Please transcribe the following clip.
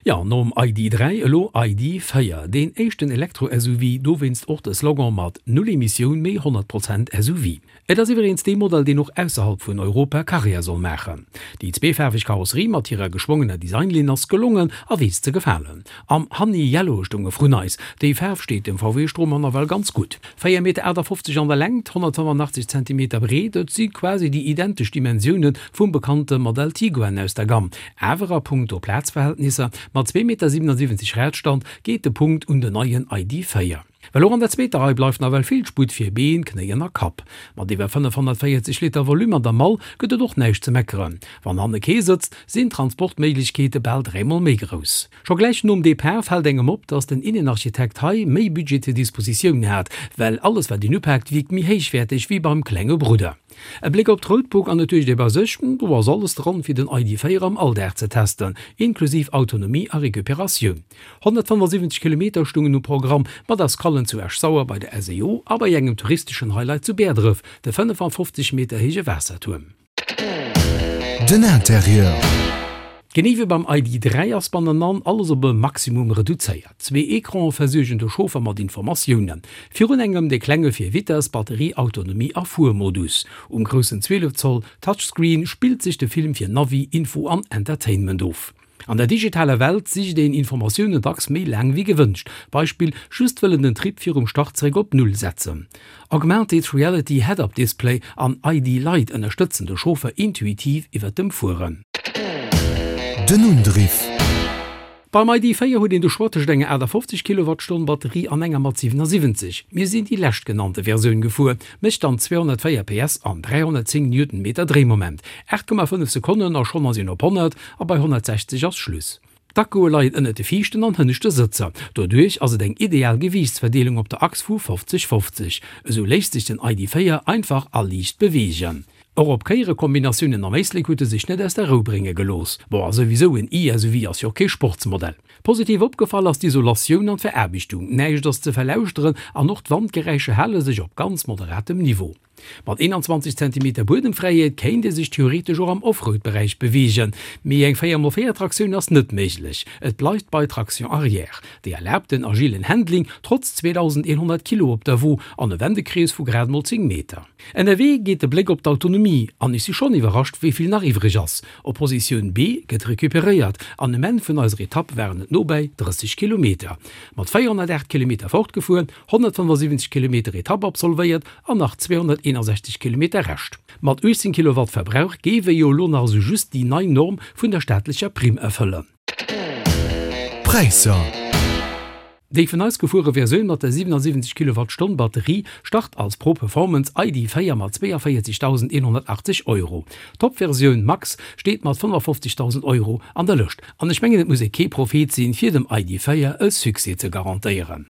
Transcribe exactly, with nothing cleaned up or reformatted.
Jo, nom I D dräi elo I D véier, deen éischten Elektro-S U V, dowéinst och de Slogan mat Null Emissioun mee honnert Prozent S U V. Et ass iwweregens dee Modell, deen och ausserhalb vun Europa Karriär soll maachen. Déi zweefaarweg Karosserie mat hirer geschwongener Designlinn ass gelongen a weess ze gefalen. Am Honey Yellow stoung e vrun eis. Déi Faarf steet dem V W Stromer nawell ganz gutt. véier Meter aachtafofzeg an der Längt, honnertfënnefenachtzeg Zentimeter breet, et si quasi déi identesch Dimensioune vum bekannte Modell Tiguan aus der Gamm. Awer a punkto Plazverhältnisser, mat zwee Meter siewenundsiwwenzeg Radstand, geet de Punkt un den neien I D véier. Well och an der zweeter Rei bleift nawell vill Sputt fir Been, Knéien a Kapp. Mat iwwer fënnefhonnertvéierzeg Liter Volume an der Mall gëtt et och näischt ze meckeren. Wann hanne kee sëtzt, sinn d'Transportméiglechkeete bal dräimol méi grouss. Scho gläich nom Depart fält engem op, dass den Innenarchitekt hei méi Budget zur Dispositioun hat, well alles wat een upaakt wierkt méi héichwäerteg wéi beim klenge Brudder. E Bléck op d'Roadbook an et duecht ee bei sech, do ass alles dran fir den I D véier am Alldag ze testen, inklusiv Autonomie a Recuperatioun. Honnertfënnefensiwwenzeg Kilometer stungen um Programm, mat Escallen zu Esch-Sauer bei der S E O a bei engem touristeschen Highlight zu Bäerdref, de fënnefafofzeg Meter héije Waassertuerm. Den Interieur. Genee wéi beim I D dräi ass bannenan alles op e Maximum reduzéiert. Zwee Ecrane versuergen de Chauffer mat Informatiounen. Virun engem dee klenge fir Vitess, Batterie, Autonomie a Fuermodus. Um groussen zwielef Zoll Touchscreen spillt sech de Film fir Navi, Info an Entertainment of. An der digitaler Welt sicht een Informatiounen dacks méi laang wéi gewënscht, Beispill, just wëllen den Trip virum Start zeréck op Null setzen. Augmented Reality Head-Up Display an I D Lite ënnerstëtzen de Chauffer intuitiv iwwer dem Fueren. Den Undriff. Beim I D véier huet een de Choix tëscht enger aachtafofzeg Kilowattstonn Batterie an enger mat siwenasiwwenzeg. Mir sinn déi leschtgenannte Versioun gefuer, mécht dann zweehonnertvéier P S an dräihonnertzéng Newtonmeter Dréimoment. aacht Komma fënnef Sekonnen a schonn ass een op honnert a bei honnertsechzeg ass Schluss. D'Akkue leien ënnert de viischten an hënneschte Sëtzer. Doduerch ass et eng ideal Gewiichtsverdeelung op der Achs vu fofzeg fofzeg. Esou léisst sech den I D véier einfach a liicht beweegen. Och op Kéierekombinatiounen am Éislek huet e sech net aus der Rou brénge gelooss. Bon, a souwisou, en E-S U V ass jo och kee Sportsmodell. Positiv opgefall ass d'Isolatioun an d'Veraarbechtung, näischt ass ze verlauschteren an och d'Wandgeräischer hale sech op ganz moderatem Niveau. Mat eenanzwanzeg Zentimeter Buedemfräiheet kéint ee sech theoretesch och am Offroad-Beräich beweegen, mee eng véier mol véier Traktioun ass net méiglech, et bleift bei Traction arrière. Déi erlaabt en agilen Handling trotz zweedausendeenhonnert Kilo op der Wo an e Wendekrees vu grad mol zéng Meter. Ënnerwee geet de Bléck op d'Autonomie an ech si schonn iwwerrascht, wéi vill nach iwwreg ass. Op Positioun B gëtt recuperéiert an um Enn vun eiser Etapp waren et nobäi drësseg Kilometer. Mat véierhonnertaacht Kilometer fortgefuer, honnertfënnefasiwwenzeg Kilometer Etapp absolvéiert an nach zweehonnerteenasechzeg Kilometer Rescht. Mat uechtzéng Kilowatt Verbrauch géif e jo elo nach esou just déi nei Norm vun der staatlecher Primm erfëllen. Präisser. Déi vun eis gefuere Versioun mat der siwenasiwwenzeg Kilowattstonn Batterie start als Pro Performance I D véier mat zweeënvéierzegdausendeenhonnertachtzeg Euro. D'Top-Versioun Max steet mat fënnefafofzegdausend Euro an der Lëscht. An ech mengen et muss ee kee Prophet sinn, fir dem I D véier e Succès ze garantéieren.